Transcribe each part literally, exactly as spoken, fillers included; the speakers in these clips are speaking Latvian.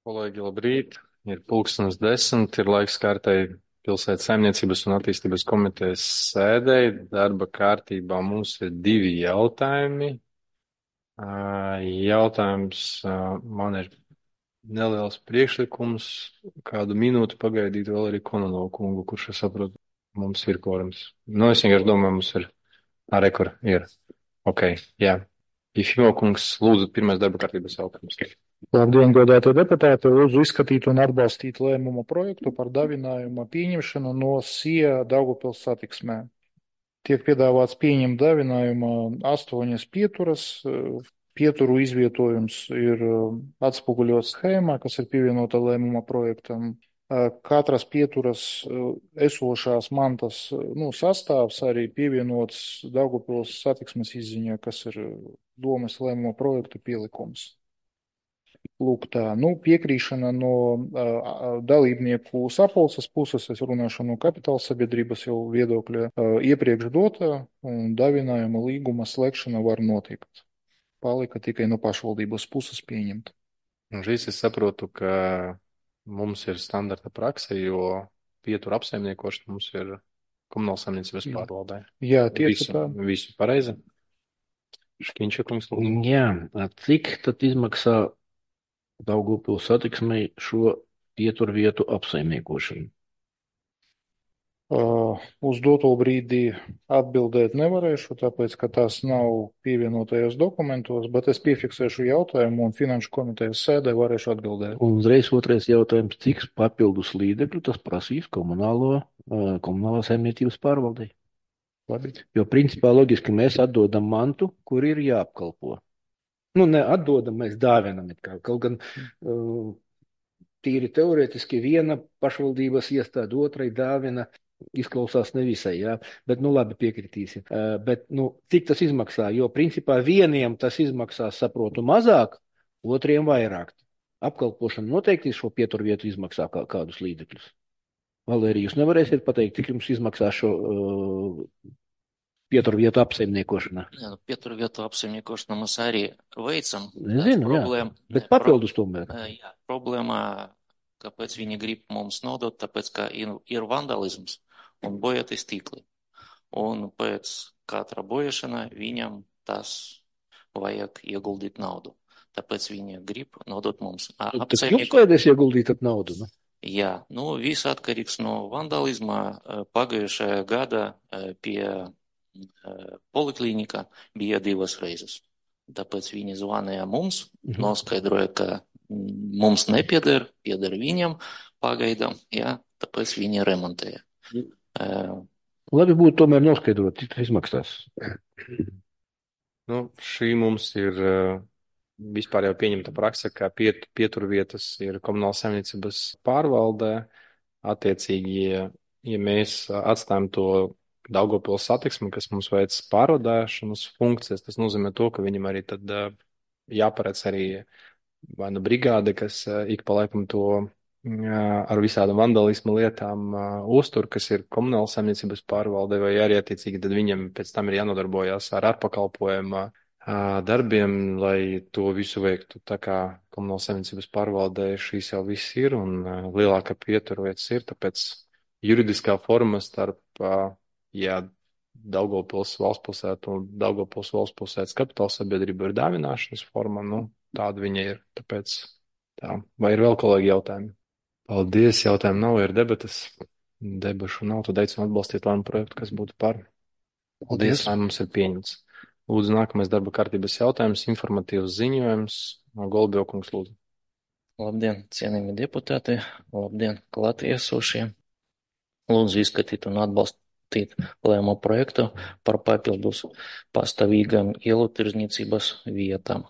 Kolēģi, labrīt! Ir pulkstenis desmit, ir laiks kārtai pilsētas saimniecības un attīstības komitejas sēdei. Darba kārtībā mums ir divi jautājumi. Ā, Jautājums, ā, man ir neliels priekšlikums, kādu minūti pagaidīt vēl arī Kononova kungu, kurš, es saprotu, mums ir kvorums. Nu, es vienkārši domāju, mums ir arī, kur ir. Ok, jā. Ifimo kungs, lūdzu, pirmais darba kārtības jautājums. Labdien, godātie deputāti! Lūdzu izskatīt un atbalstīt lēmuma projektu par davinājuma pieņemšanu no SIA Daugavpils satiksmē. Tiek piedāvāts pieņemt davinājumā astoņas pieturas. Pieturu izvietojums ir atspoguļots schēmā, kas ir pievienota lēmuma projektam. Katras pieturas esošās mantas nu, sastāvs arī pievienots Daugavpils satiksmes izziņā, kas ir domes lēmuma projekta pielikums. Lūk, tā, nu, piekrīšana no uh, dalībnieku sapulces puses, es runāšu no kapitāla sabiedrības jau viedokļa, uh, iepriekš dota un davinājuma līguma slēgšana var notikt. Palika tikai no pašvaldības puses pieņemt. Un šīs es saprotu, ka mums ir standarta prakse, jo pietura apsaimniekošana mums ir komunāla saimniecības pārvaldē. Jā, tieši visu, tā. Visu pareizi? Škiņša kungs. Jā, cik tad izmaksā Daugavpils satiksmei šo pieturvietu apsaimniekošanu? Uh, uz doto brīdi atbildēt nevarēšu, tāpēc, ka tās nav pievienotajos dokumentos, bet es piefiksēšu jautājumu un finanšu komitejas sēdē varēšu atbildēt. Un uzreiz otrais jautājums, cik papildus līdzekļu tas prasīs komunālo, uh, komunālā saimniecības pārvaldei? Labi. Jo principā loģiski mēs atdodam mantu, kur ir jāapkalpo. Nu, ne atdodam, mēs dāvinam it kā. Kaut gan uh, tīri teorētiski viena pašvaldības iestāde otrai dāvina, izklausās nevisai, jā, bet nu labi piekritīsim. Uh, bet nu, cik tas izmaksā? Jo principā vieniem tas izmaksās, saprotu, mazāk, otriem vairāk. Apkalpošana noteikti šo pieturvietu izmaksā kā, kādus līdzekļus. Valērija, jūs nevarēsiet pateikt, cik jums izmaksā šo uh, pieturvietu apsaimniekošana? Jā, nu, pieturvietu apsaimniekošanu mēs arī veicam. Nezinu, problēma, jā, bet papildus tomēr. Jā, problēma, kāpēc viņi grib mums nodot, tāpēc, ka ir, ir vandalisms un bojāti stikli. Un pēc katra bojāšana viņam tas vajag ieguldīt naudu. Tāpēc viņi grib nodot mums apsaimniekošanu. Tad jums vajadzēs ieguldīt naudu, ne? Jā, nu, viss atkarīgs no vandalisma. Pagājušajā gada pie poliklinika bija divas reizes. Tāpēc viņi zvanīja mums, mhm. noskaidroja, ka mums nepieder, pieder viņam pagaidām, jā, tāpēc viņi remontēja. Uh, Labi būtu tomēr noskaidrot, cik tas izmaksās. Nu, šī mums ir uh, vispār jau pieņemta prakse, ka piet, pieturvietas ir komunāla saimniecības pārvaldē. Attiecīgi, ja, ja mēs atstājam to Daugavpils satiksmi, kas mums veic pārvadāšanas funkcijas, tas nozīmē to, ka viņam arī tad uh, jāparedz arī vai nu brigāde, kas uh, ik pa laikam to uh, ar visādām vandalismu lietām uh, uztur, kas ir komunāla saimniecības pārvalde, vai arī attiecīgi tad viņam pēc tam ir jānodarbojās ar ārpakalpojumu uh, darbiem, lai to visu veiktu. Tā kā komunāla saimniecības pārvaldē šīs jau viss ir un uh, lielāka pieturvietas ir, tāpēc juridiskā forma starp uh, ja Daugavpils valstspilsēta un Daugavpils valstspilsētas kapitāla sabiedrība ir dāvināšanas forma, nu, tāda viņa ir. Tāpēc tā. Vai ir vēl kolēģi jautājumi? Paldies, jautājumu nav, ir debatas. Debašu nav, tad aicinu atbalstīt lēmumu projektu, kas būtu par. Paldies, lēmums ir pieņemts. Lūdzu, nākamais darba kārtības jautājums, informatīvs ziņojums. Golbjokungs, lūdzu. Labdien, cienījami deputāti, labdien, klātiesošie. Lūdzu, izskatīt un atbalstīt lēmumu projektu par papildus pastāvīgām ielu tirdzniecības vietām.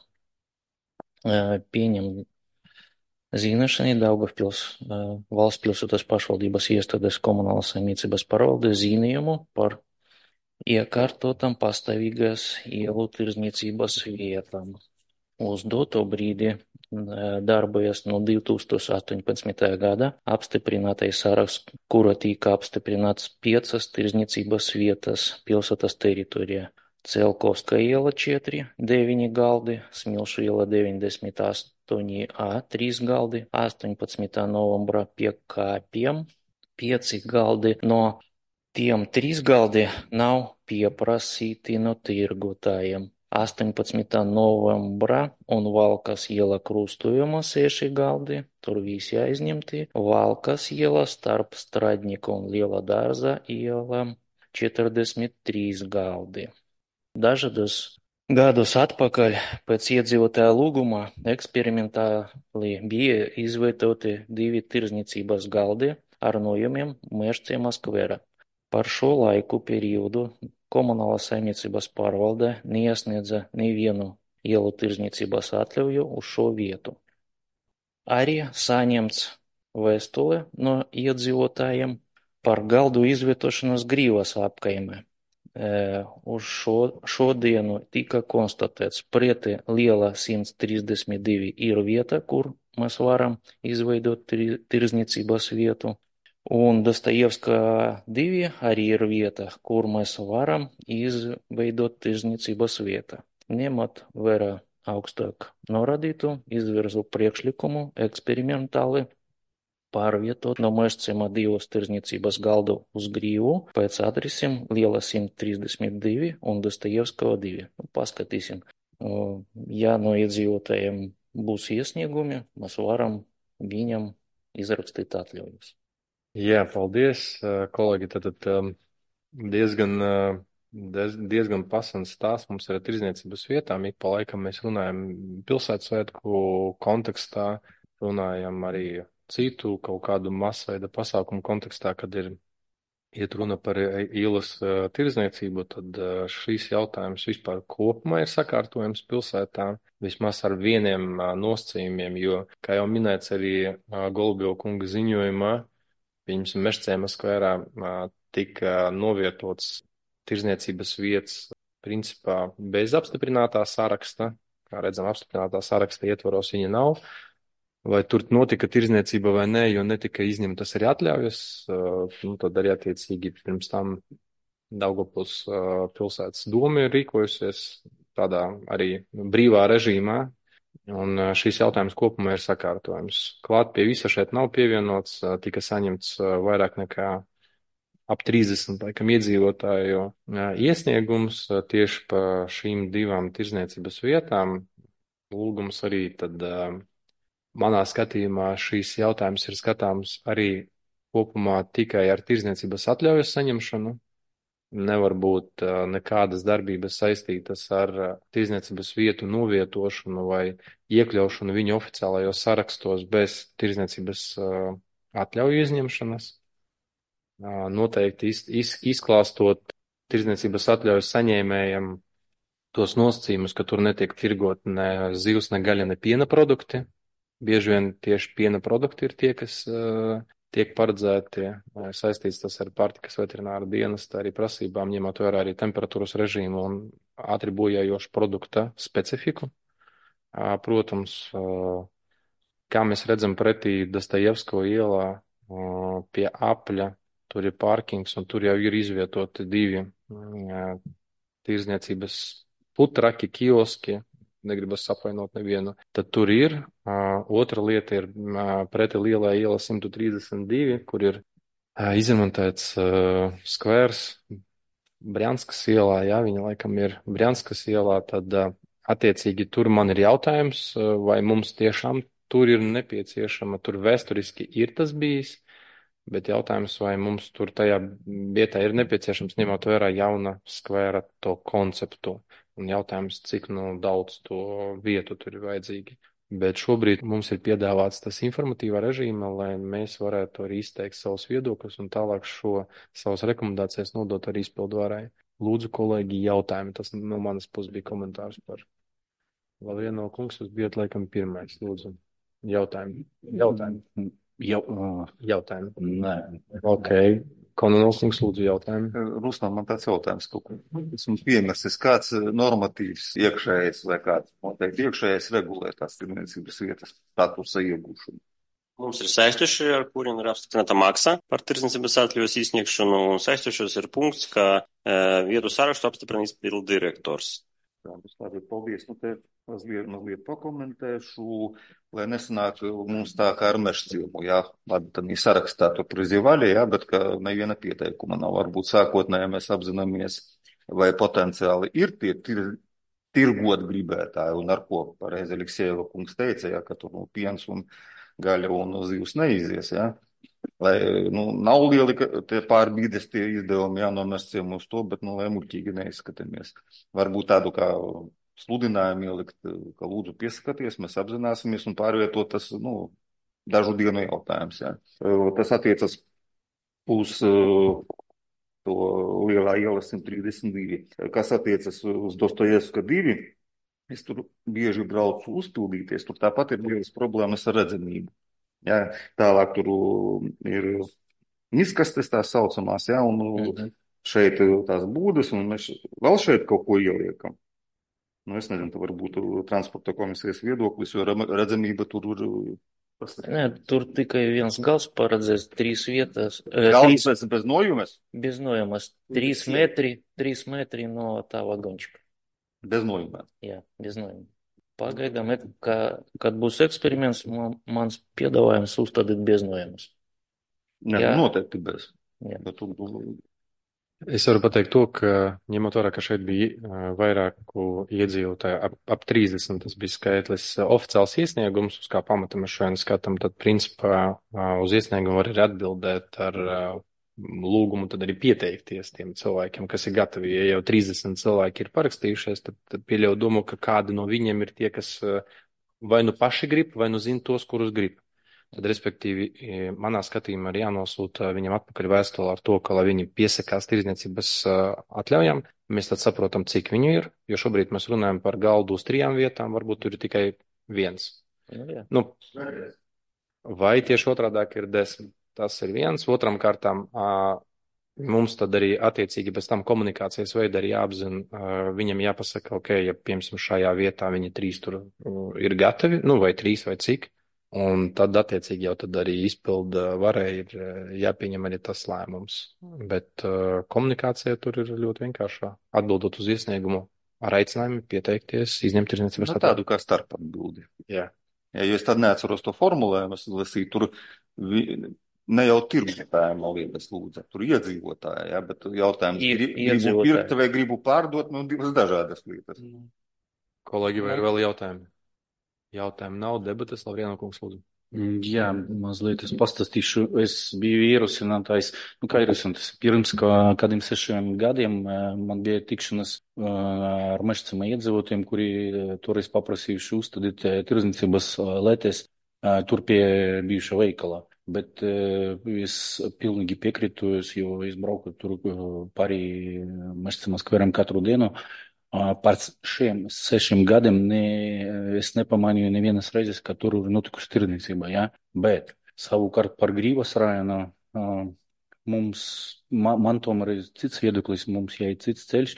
Pieņem zināšanai Daugavpils valsts pilsētas pašvaldības iestādes komunālas saimniecības pārvalde zīmējumu par iekārtotam pastāvīgās ielu tirdzniecības vietām. Uz doto brīdi darbojas no divi tūkstoši astoņpadsmitā gada apstiprinātais saraksts, kura tika apstiprināts piecas tirdzniecības vietas pilsētas teritorijā. Celkovska iela četri, deviņi galdi, Smilšu iela deviņdesmit astoņi A trīs galdi, astoņpadsmitā novembra pie kāpiem pieci galdi. No tiem trīs galdi nav pieprasīti no tirgotājiem. astoņpadsmitā novembrā un Valkas iela krustojuma seši galdi, tur visi aizņemti. Valkas iela starp Stradņika un Liela dārza ielām četrdesmit trīs galdi. Dažādus gadus atpakaļ pēc iedzīvotāja lūguma eksperimentāli bija izveidoti divi tirdzniecības galdi ar nojumiem Mežciema skvera. Par šo laiku periodu Komunālās saimniecības pārvalde neiesniedza nevienu ielu tirdzniecības atļauju uz šo vietu. Arī saņemts vēstule no iedzīvotājiem par galdu izvietošanos Grīvas apkaimē. E, uz šo, šodienu tika konstatēts preti Liela simt trīsdesmit divi ir vieta, kur mēs varam izveidot tirdzniecības vietu. Un Dostojevska divi arī ir vieta, kur mēs varam izveidot tirdzniecības vietu. Ņemot vērā augstāk norādītu, izvirzu priekšlikumu eksperimentāli pārvietot no Mežciema divus tirdzniecības galdu uz Grīvu pēc adresiem Liela simt trīsdesmit divi un Dostojevska divi. Nu, paskatīsim. Ja no iedzīvotājiem būs iesniegumi, mēs varam viņam izrakstīt atļaujas. Jā, paldies, kolēģi. Tad, tad diezgan, diezgan pasants stāsts mums ir tirdzniecības vietām. Ik pa laikam mēs runājam pilsētsvētku kontekstā, runājam arī citu kaut kādu masveida pasākumu kontekstā, kad ir iet runa par ielas tirdzniecību, tad šīs jautājums vispār kopumā ir sakārtojams pilsētā, vismaz ar vieniem nosacījumiem, jo, kā jau minēts arī Golubjova kunga ziņojumā, Viņam Mežciema skverā tika novietots tirdzniecības vietas principā bez apstiprinātā saraksta. Kā redzam, apstiprinātā saraksta ietvaros viņa nav. Vai tur notika tirdzniecība vai nē, jo netika izņemtas arī atļaujas. Nu, tad arī attiecīgi pirms tam Daugavpils pilsētas doma ir rīkojusies tādā arī brīvā režīmā. Un šīs jautājums kopumā ir sakārtojums. Klāt pie visa šeit nav pievienots, tika saņemts vairāk nekā ap trīsdesmit laikam iedzīvotāju iesniegums tieši pa šīm divām tirdzniecības vietām. Lūgums arī tad manā skatījumā šīs jautājums ir skatāms arī kopumā tikai ar tirdzniecības atļaujas saņemšanu. Nevar būt nekādas darbības saistītas ar tirdzniecības vietu novietošanu vai iekļaušanu viņu oficiālajos sarakstos bez tirdzniecības atļauju izņemšanas. Noteikti iz, iz, izklāstot tirdzniecības atļaujas saņēmējiem tos nosacījumus, ka tur netiek tirgot ne zivs, ne gaļa, ne piena produkti. Bieži vien tieši piena produkti ir tie, kas tiek paredzēti, saistīts tas ar pārtikas veterināru dienestu, arī prasībām, ņemot vērā arī temperatūras režīmu un ātri bojājošu produkta specifiku. Protams, kā mēs redzam pretī Dostojevsko ielā pie apļa, tur ir pārkings un tur jau ir izvietoti divi tirdzniecības putraki, kioski, negribas apvainot nevienu, tad tur ir. Otra lieta ir preti Lielai iela simt trīsdesmit divi, kur ir izremontēts skvērs Brjanskas ielā, jā, viņa laikam ir Brjanskas ielā, tad attiecīgi tur man ir jautājums, vai mums tiešām tur ir nepieciešama, tur vēsturiski ir tas bijis, bet jautājums, vai mums tur tajā vietā ir nepieciešams ņemot vērā jauna skvēra to konceptu. Un jautājums, cik nu daudz to vietu tur ir vajadzīgi. Bet šobrīd mums ir piedāvāts tas informatīvā režīma, lai mēs varētu arī izteikt savus viedokļus un tālāk šo savas rekomendācijas nodot arī izpildvarai. Lūdzu, kolēģi, jautājumi. Tas no manas puses bija komentārs par Lavieno kungs. Jūs bijat laikam pirmais. Lūdzu, jautājumi. Jautājumi. Jau, uh, Jautājumi. Nē. Ok. Kononovs, lūdzu, jautājumi. Ruslan, man tāds jautājums, ka esmu piemirsis, kāds normatīvs iekšējais vai kāds noteikti iekšējais regulē tās tirdzniecības vietas statusa iegūšanu. Mums ir saistoši, ar kuriem ir apstiprināta maksa par tirdzniecības atļaujas izsniegšanu, un saistošos ir punkts, ka e, vietu sarakstu apstiprina izpildu direktors. Labi, paldies. Nu, te mazliet, mazliet pakomentēšu, lai nesanāk mums tā kā ar Mežcilmu, jā. Labi, tad viņi sarakstā to prizivāļie, jā, bet ka neviena pieteikuma nav. Varbūt sākotnēji mēs apzināmies, vai potenciāli ir tie tir, tirgot gribētāji, un ar ko pareizi Aleksejeva kungs teica, jā, ka tur nu, piens un gaļa un zivs neizies, jā. Lai, nu, nav lieli tie pārbīdes tie izdevumi, jā, no Mežcilmu uz to, bet, nu, lai muļķīgi neizskatāmies. Varbūt tādu kā sludinājumu ielikt, ka lūdzu piesakaties, mēs apzināsimies un pārvietot tas, nu, dažu dienu jautājums, jā. Tas attiecas uz to lielā iela simt trīsdesmit divi. Kas attiecas uz Dostojevska divi, es tur bieži braucu uzpildīties, tur tāpat ir lielas problēmas ar redzamību. Jā, tālāk tur ir miskastes tās saucamās, jā, un mm-hmm. šeit tās būdas, un mēs vēl šeit kaut ko ieliekam. Nu, es nezinu, tā varbūt transporta komisijas viedoklis, jo redzamība tur ir. Nē, tur tikai viens gals paredzēts, trīs vietas. Gals trīs, bez, bez nojumes? Bez nojumes. Trīs metri, trīs metri no tā vagončika. Bez nojumē? Jā, bez nojumē. Pagaidām, ka, kad būs eksperiments, man, mans piedāvājums uzstādīt bez nojumes. Nē, jā. Noteikti bez. Jā. Bet tu... Es varu pateikt to, ka ņemot vērā, ka šeit bija vairāku iedzīvotāju, ap, ap trīsdesmit, tas bija skaitlis oficiāls iesniegums, uz kā pamata mēs šodien skatām, tad principā uz iesniegumu var arī atbildēt ar lūgumu, tad arī pieteikties tiem cilvēkiem, kas ir gatavi. Ja jau trīsdesmit cilvēki ir parakstījušies, tad, tad pieļauju domu, ka kādi no viņiem ir tie, kas vai nu paši grib, vai nu zina tos, kurus grib. Tad, respektīvi, manā skatījumā ir jānosūta viņam atpakaļ vēstule ar to, ka, lai viņi piesakās tirdzniecības atļaujām, mēs tad saprotam, cik viņu ir, jo šobrīd mēs runājam par galdu uz trijām vietām, varbūt tur ir tikai viens. Jā. Nu, vai tieši otrādāk ir desmit. Tas ir viens. Otram kārtām mums tad arī attiecīgi bez tam komunikācijas veida arī jāapzina, viņam jāpasaka, ok, ja piemēram šajā vietā viņi trīs tur ir gatavi, nu vai trīs vai cik, un tad attiecīgi jau tad arī izpilda varai ir jāpieņem arī tas lēmums. Bet komunikācija tur ir ļoti vienkāršā. Atbildot uz iesniegumu ar aicinājumu pieteikties, izņemt tirdzniecības atļauju. Nu, tādu kā starp atbildi. Jā. Ja, jo es tad neatceros to formulējumu, es lasīju tur. Vi... Ne jau tirgotājiem nav lietas lūdza, tur iedzīvotāji, ja, bet jautājums I, gribu pirkt vai gribu pārdot, nu divas dažādas lietas. Kolēģi, vai ir vēl jautājumi? Jautājumi nav, debates, Lavrieno kungs, lūdzu. Jā, mazliet es pastāstīšu, es biju ierosinātājs, nu kā ierosinātājs, pirms kā, kādiem sešiem gadiem man bija tikšanas ar Mežcilma iedzīvotājiem, kuri toreiz paprasījuši uzstādīt tirdzniecības letes tur pie bijušā veikala. Bet uh, es pilnīgi piekrītu, jo es braucu tur pāri Mežcilma skveram katru dienu. Uh, par šiem sešiem gadiem ne, es nepamanīju nevienas reizes, ka tur ir notikusi tirdzniecība, ja? Bet savukārt par Grīvas rajonu uh, mums, man, man tomēr ir cits viedoklis, mums jāiet cits ceļš,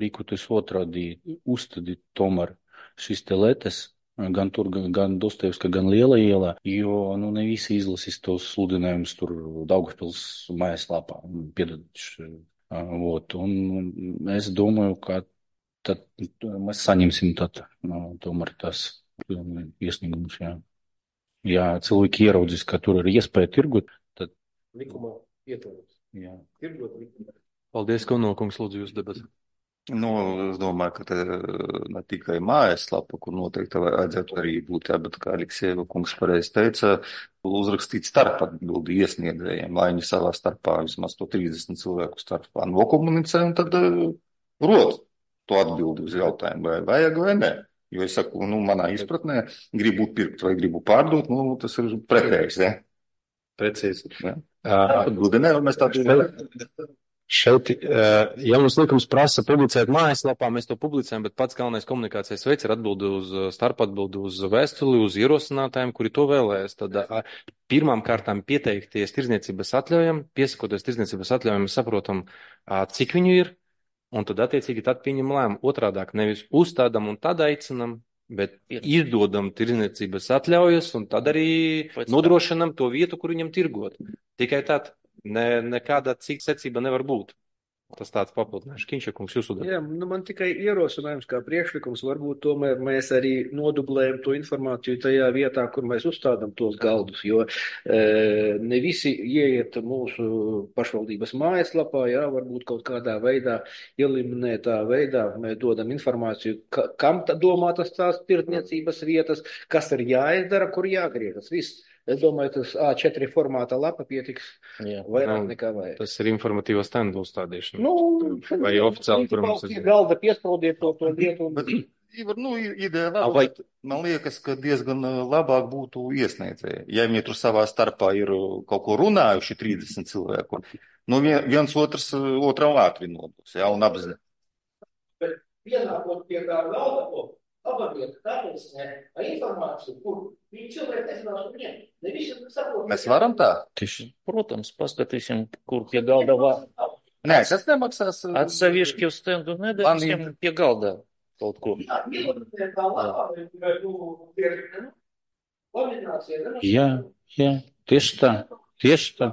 rīkoties otrādi, uzstādīt tomēr šīs te letes. Gan tur, gan Dostojevska, gan Liela ielā, jo, nu, ne visi izlasīs tos sludinājumus tur Daugavpils mājaslapā, piedoduši. Vot, un es domāju, ka tad mēs saņemsim tad, nu, tomēr tas iesniegumus, jā. Ja cilvēki ieraudzīs, ka tur ir iespēja tirgot, tad... Likumā ietvaros. Jā. Tirgot likumā. Paldies, Kaunokungs, lūdzu jūs debatu. Nu, es domāju, ka te ne tikai mājaslapa, kur noteikti vajadzētu arī būt, jā, bet kā Aleksejeva kungs pareizi teica, uzrakstīt starp atbildi iesniedzējiem, lai viņi savā starpā vismaz to trīsdesmit cilvēku starpā nokomunicē un tad rod to atbildi uz jautājumu, vai vajag vai ne. Jo es saku, nu, manā izpratnē, gribu pirkt vai gribu pārdot, nu, tas ir pretējs, jā. Precīzi. Jā. Atbildi ne, mēs tādu... Šeit, ja mums likums prasa publicēt mājaslapā, mēs to publicējam, bet pats galvenais komunikācijas veids ir atbildi uz starpatbildi uz vēstuli, uz ierosinātājiem, kuri to vēlēs. Tad pirmām kārtām pieteikties tirdzniecības atļaujam, piesakoties tirdzniecības atļaujam, saprotam, cik viņu ir, un tad attiecīgi tad pieņem lēmumu. Otrādāk nevis uzstādam un tad aicinam, bet izdodam tirdzniecības atļaujas un tad arī nodrošinam to vietu, kur viņam tirgot. Tikai tad. Ne, nekāda cita secība nevar būt. Tas tāds papildinājums. Kinčakungs, jūs uzdedat. Jā, nu man tikai ierosinājums kā priekšlikums, varbūt tomēr mēs arī nodublējam to informāciju tajā vietā, kur mēs uzstādām tos galdus, jo e, ne visi ieiet mūsu pašvaldības mājaslapā, jā, varbūt kaut kādā veidā, eliminētā veidā mēs dodam informāciju, ka, kam ta domātas tās tirdzniecības vietas, kas ir jāizdara, kur jāgriežas, viss. Es domāju, tas A četri formāta lapa pietiks Jā. vairāk Nu, nekā vajag. Tas ir informatīvas stendu uzstādīšana. Nu, Vai oficiāli, kur mums pie ir. galda piespraudiet to, to lietu. Un... Bet, Ivar, nu, ideja laba, Vai- bet man liekas, ka diezgan uh, labāk būtu iesniedzēji. Ja viņi tur savā starpā ir uh, kaut ko runājuši trīsdesmit cilvēku, nu vien, viens otrs uh, otram ātri nodos, jā, un apzināt. Bet pienākot pie kā galda, ko labāk, tāpēc ne, informāciju, kur viņi cilvēki nezinās, viņiem, ne visi saprot. Mēs varam tā? Tieši. Protams, paskatīsim, kur pie galda var. Nē, tas nemaksās. uh, Atsevišķi uz stendu nedarīsim pie galda kaut ko. Jā, ielūdēt tā lapā, vai tu tieši, nu, kombinācija. ne? Jā, jā, tieši tā, tieši tā.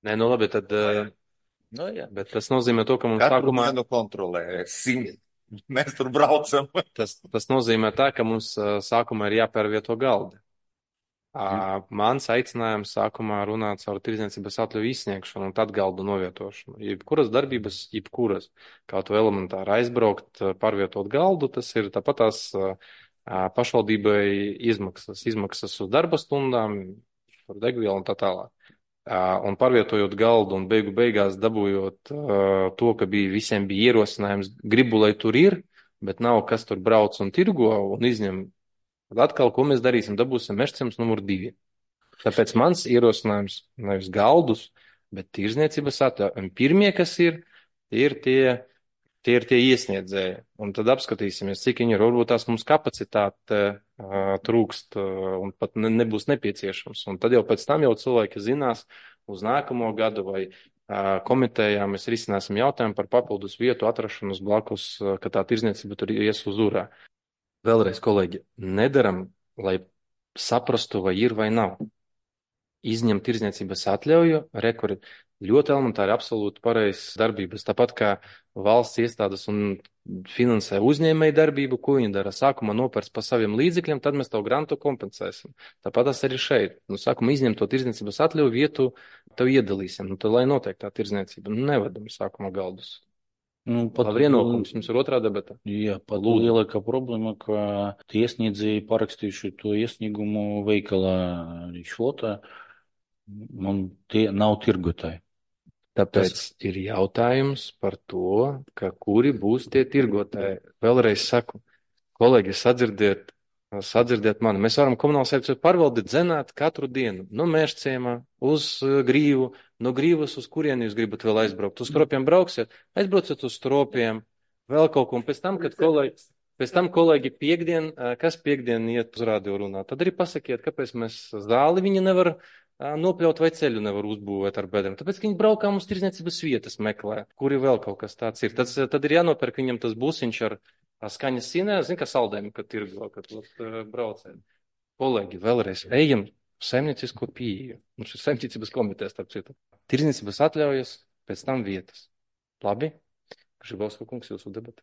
Nē, nu labi, tad, eh, Nu, jā. bet tas nozīmē to, ka mums Katru sākumā, dienu kontrolē simt. Mēs tur braucam. tas, tas nozīmē tā, ka mums eh, sākumā ir jāpērvieto galdi. Ā, Mans aicinājums sākumā runāt caur tirdzniecības atļauju izsniegšanu un tad galdu novietošanu. Jebkuras darbības, jebkuras, kaut vai elementāri aizbraukt, pārvietot galdu, tas ir tāpat tās ā, pašvaldībai izmaksas, izmaksas uz darba stundām, par degvielu un tā tālāk. Ā, Un pārvietojot galdu un beigu beigās dabūjot ā, to, ka bija, visiem bija ierosinājums, gribu, lai tur ir, bet nav kas tur brauc un tirgo un izņem. Tad atkal, ko mēs darīsim, dabūsim mežciems numur divi. Tāpēc mans ierosinājums nevis galdus, bet tirdzniecības atļauju. Un pirmie, kas ir, tie ir tie, tie ir tie iesniedzēji. Un tad apskatīsimies, cik viņi ir. Varbūt tās mums kapacitāte uh, trūkst uh, un pat ne, nebūs nepieciešams. Un tad jau pēc tam jau cilvēki zinās uz nākamo gadu vai uh, komitejā mēs risināsim jautājumu par papildus vietu atrašanos blakus, uh, ka tā tirdzniecība tur ies uz urā. Vēlreiz, kolēģi, nedaram, lai saprastu, vai ir vai nav. Izņem tirdzniecības atļauju, rekuri ļoti elementāri, absolūti pareizs darbības. Tāpat kā valsts iestādes un finansē uzņēmēju darbību, ko viņi dara. Sākumā nopērts pa saviem līdzekļiem, tad mēs to grantu kompensēsim. Tāpat tas arī šeit. Nu, sākumā izņem to tirdzniecības atļauju, vietu tev iedalīsim. Nu, tad, lai notiek tā tirdzniecība, nu, nevedam sākumā galdus. Nu, pat, Labi, ienākums jums ir otrā debata. Jā, pat Lūdzu. lielākā problēma, ka tie iesniedzēji parakstījuši to iesniegumu veikalā Rīčflotā, un tie nav tirgotāji. Tāpēc ir jautājums par to, ka kuri būs tie tirgotāji. Vēlreiz saku, kolēģi, sadzirdiet, sadzirdiet mani. Mēs varam komunālu sekciju pārvaldīt, zenāt katru dienu. No Mežciemā uz uh, Grīvu, no Grīvas uz kurieni jūs gribat vēl aizbraukt. Uz Stropiem brauksiet, aizbrauciet uz Stropiem, vēl kaut ko. Un pēc tam, kad kolēģi, pēc tam kolēģi piekdien, uh, kas piekdien iet uz radio runāt, tad arī pasakiet, kāpēc mēs zāli viņi nevar uh, nopļaut vai ceļu nevar uzbūvēt ar bedrēm. Tāpēc, ka viņi braukā mums tirdzniecības vietas meklē, kuri vēl kaut kas tāds ir. Tad, tad ir jānopērk viņam tas busiņš ar skaņas sinē, zin, kā saldējumi, kad tirgo, kad uh, braucēt. Kolēģi, vēlreiz ejam saimniecisko pieeju. Mums ir saimniecības komitejas, starp citu. Tirdzniecības atļaujas, pēc tam vietas. Labi? Žibauska kungs, jūsu debata.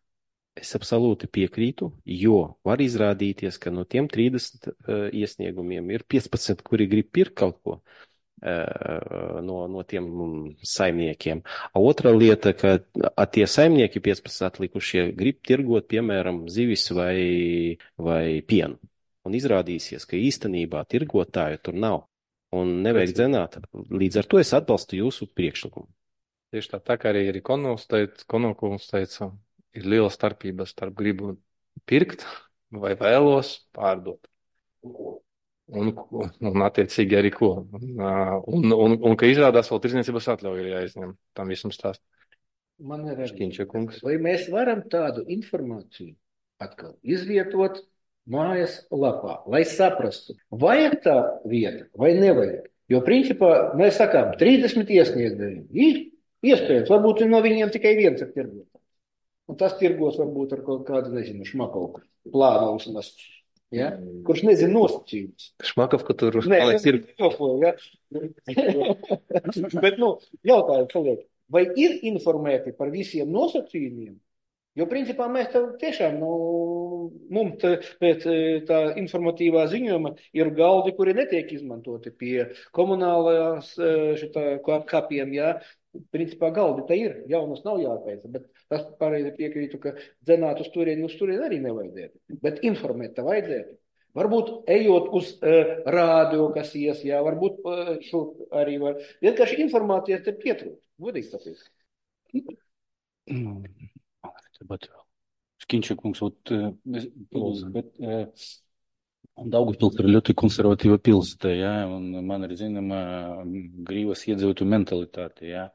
Es absolūti piekrītu, jo var izrādīties, ka no tiem trīsdesmit uh, iesniegumiem ir piecpadsmit, kuri grib pirkt kaut ko uh, no, no tiem um, saimniekiem. A otra lieta, ka a, tie saimnieki piecpadsmit atlikušie grib tirgot, piemēram, zivis vai, vai pienu. Un izrādīsies, ka īstenībā tirgotāju tur nav. Un nevajag dzenāt. Līdz ar to es atbalstu jūsu priekšlikumu. Tieši tā, tā kā arī, arī Konovs teica, Konovkungs teica, ir liela starpība starp gribu pirkt vai vēlos pārdot. Un, un attiecīgi arī ko. Un, un, un, un ka izrādās vēl tirdzniecības atļauja ir jāizņem. Tam visam stāst. Man ir arī, Šķiņša kungs. vai mēs varam tādu informāciju atkal izvietot mājas lapā, lai saprastu, vajag tā vieta vai nevajag. Jo principā mēs sakām, trīsdesmit iesniegēji ir iespējams, varbūt no viņiem tikai viens ir tirgotājs. Un tas tirgos varbūt ar kaut kādu, nezinu, šmakovu plānu vismaz, ja? Kurš nezina nosacījumus. Šmakovka tur Nē, paliek tas ir tirgu. jokoju, ja? Bet, nu, jautājums paliek. vai ir informēti par visiem nosacījumiem. Jo, principā, mēs tā tiešām, nu, mums tā, pēc tā informatīvā ziņojuma ir galdi, kuri netiek izmantoti pie komunālajās šitā kapiem, jā. Principā galdi tā ir, jaunas nav jāpēc, bet tas pareizi piekrītu, ka dzenāt uz turieni, uz turieni arī nevajadzētu, bet informēt tā vajadzētu. Varbūt ejot uz uh, rādio, kas ies, jā, varbūt uh, šo arī var. Vienkārši informācijas te pietrūkst, godīgi tāpēc. Mm. Bet Škinčakungs, ot, pils, bet Daugavpils ir ļoti konservatīva pilsēta, jā, un man ir zināma grīvas iedzīvotu mentalitāte, jā.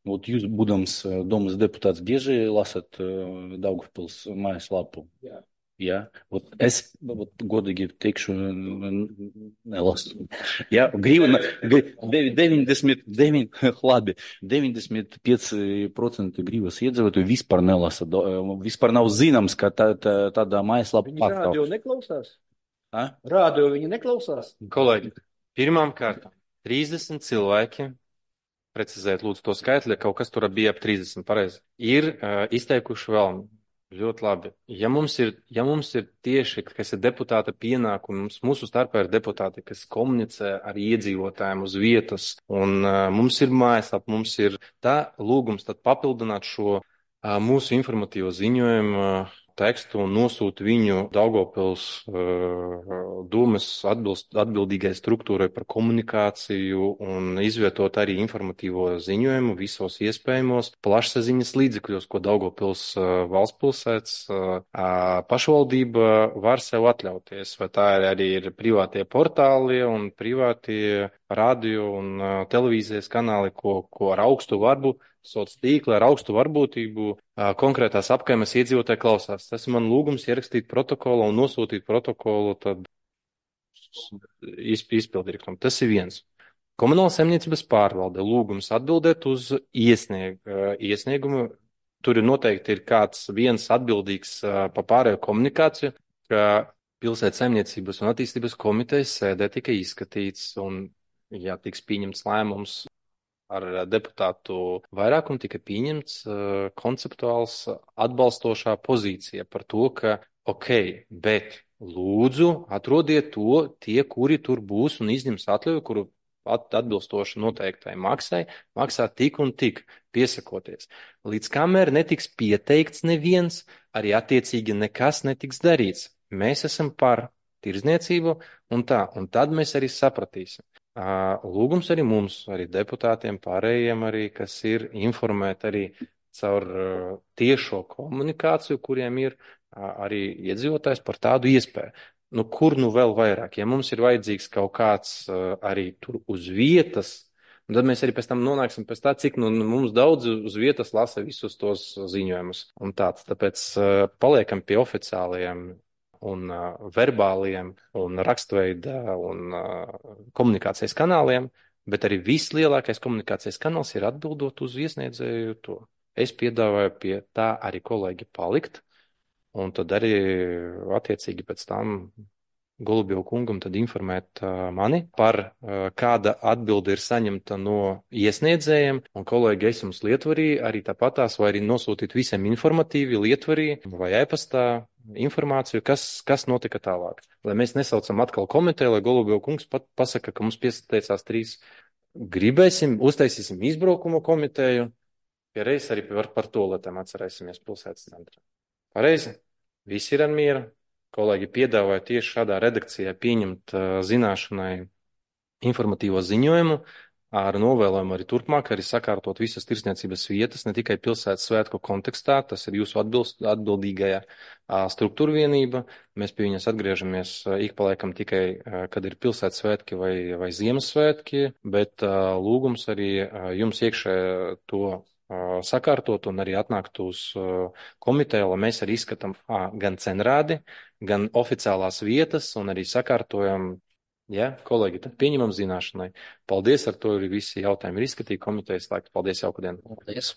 Ot, jūs, būdams domas deputāts, bieži lasat Daugavpils mājaslapu? Jā. Jā, ot, es ot, godīgi teikšu, nelasu. Jā, grīva, deviņdesmit deviņi, labi, deviņdesmit pieci procenti grīvas iedzīvotāju vispār nelasa, vispār nav zināms, ka tā, tā, tādā mājaslapa pastāv. Viņi rādio neklausās? A? Rādio viņi neklausās? Kolēģi, pirmām kārtām, trīsdesmit cilvēki, precizēt lūdzu to skaitli, kaut kas tur bija ap trīsdesmit, pareizi, ir uh, izteikuši vēlmi. Ļoti labi. Ja mums ir, ja mums ir tieši, kas ir deputāta pienākumi, mums, mūsu starpā ir deputāti, kas komunicē ar iedzīvotājiem uz vietas, un uh, mums ir mājaslapa, mums ir tā lūgums tad papildināt šo uh, mūsu informatīvo ziņojumu uh, tekstu un nosūt viņu Daugavpils uh, domas atbilst, atbildīgai struktūrai par komunikāciju un izvietot arī informatīvo ziņojumu visos iespējamos plašsaziņas līdzekļos, ko Daugavpils uh, valstspilsētas uh, pašvaldība var sev atļauties. Vai tā ir arī ir privātie portāli un privātie radio un uh, televīzijas kanāli, ko, ko ar augstu varbu sociālā tīkla ar augstu varbūtību konkrētās apkaimes iedzīvotāji klausās. Tas ir man lūgums ierakstīt protokolu un nosūtīt protokolu tad izpildirektoram. Tas ir viens. Komunāla saimniecības pārvalde lūgums atbildēt uz iesnieg, iesniegumu. Tur ir noteikti ir kāds viens atbildīgs pa pārējo komunikāciju, ka pilsētas saimniecības un attīstības komitejas sēdē tika izskatīts un, ja tiks pieņemts lēmums ar deputātu vairākumu, tika pieņemts uh, konceptuāls atbalstošā pozīcija par to, ka ok, bet lūdzu atrodiet to tie, kuri tur būs un izņems atļauju, kuru at, atbilstoši noteiktai maksai, maksā tik un tik piesakoties. Līdz kamēr netiks pieteikts neviens, arī attiecīgi nekas netiks darīts. Mēs esam par tirdzniecību un tā, un tad mēs arī sapratīsim. Lūgums arī mums, arī deputātiem, pārējiem arī, kas ir informēt arī caur tiešo komunikāciju, kuriem ir arī iedzīvotājs par tādu iespēju. Nu, kur nu vēl vairāk? Ja mums ir vajadzīgs kaut kāds arī tur uz vietas, tad mēs arī pēc tam nonāksim pēc tā, cik nu, mums daudz uz vietas lasa visus tos ziņojumus un tāds. Tāpēc paliekam pie oficiālajiem un uh, verbāliem, un rakstveida, un uh, komunikācijas kanāliem, bet arī vislielākais komunikācijas kanāls ir atbildot uz iesniedzēju to. Es piedāvāju pie tā arī kolēģi palikt, un tad arī attiecīgi pēc tam Golubjevu kungam tad informēt uh, mani par uh, kāda atbilde ir saņemta no iesniedzējiem, un kolēģi es jums Lietvarī arī tāpatās, vai arī nosūtīt visiem informatīvi Lietvarī vai e-pastā informāciju, kas, kas notika tālāk. Lai mēs nesaucam atkal komiteju, lai Golubjevu kungs pat pasaka, ka mums pieteicās trīs. Gribēsim, uztaisīsim izbraukumu komiteju, ja reiz arī par, par toaletēm atcerēsimies pilsētas centrā. Pareizi? Visi ir ar mieru. Kolēģi piedāvāja tieši šādā redakcijā pieņemt uh, zināšanai informatīvo ziņojumu ar novēlojumu arī turpmāk, arī sakārtot visas tirdzniecības vietas, ne tikai pilsētas svētku kontekstā, tas ir jūsu atbilst, atbildīgajā uh, struktūra vienība. Mēs pie viņas atgriežamies uh, ik paliekam tikai, uh, kad ir pilsētas svētki vai, vai Ziemassvētki, bet uh, lūgums arī uh, jums iekšē to sakārtot un arī atnākt uz komiteju, lai mēs arī izskatām ā, gan cenrādi, gan oficiālās vietas un arī sakārtojam, ja, kolēģi, tad pieņemam zināšanai. Paldies, ar to arī visi jautājumi ir izskatīti komitejas laiku. Paldies, jauku dienu. Paldies.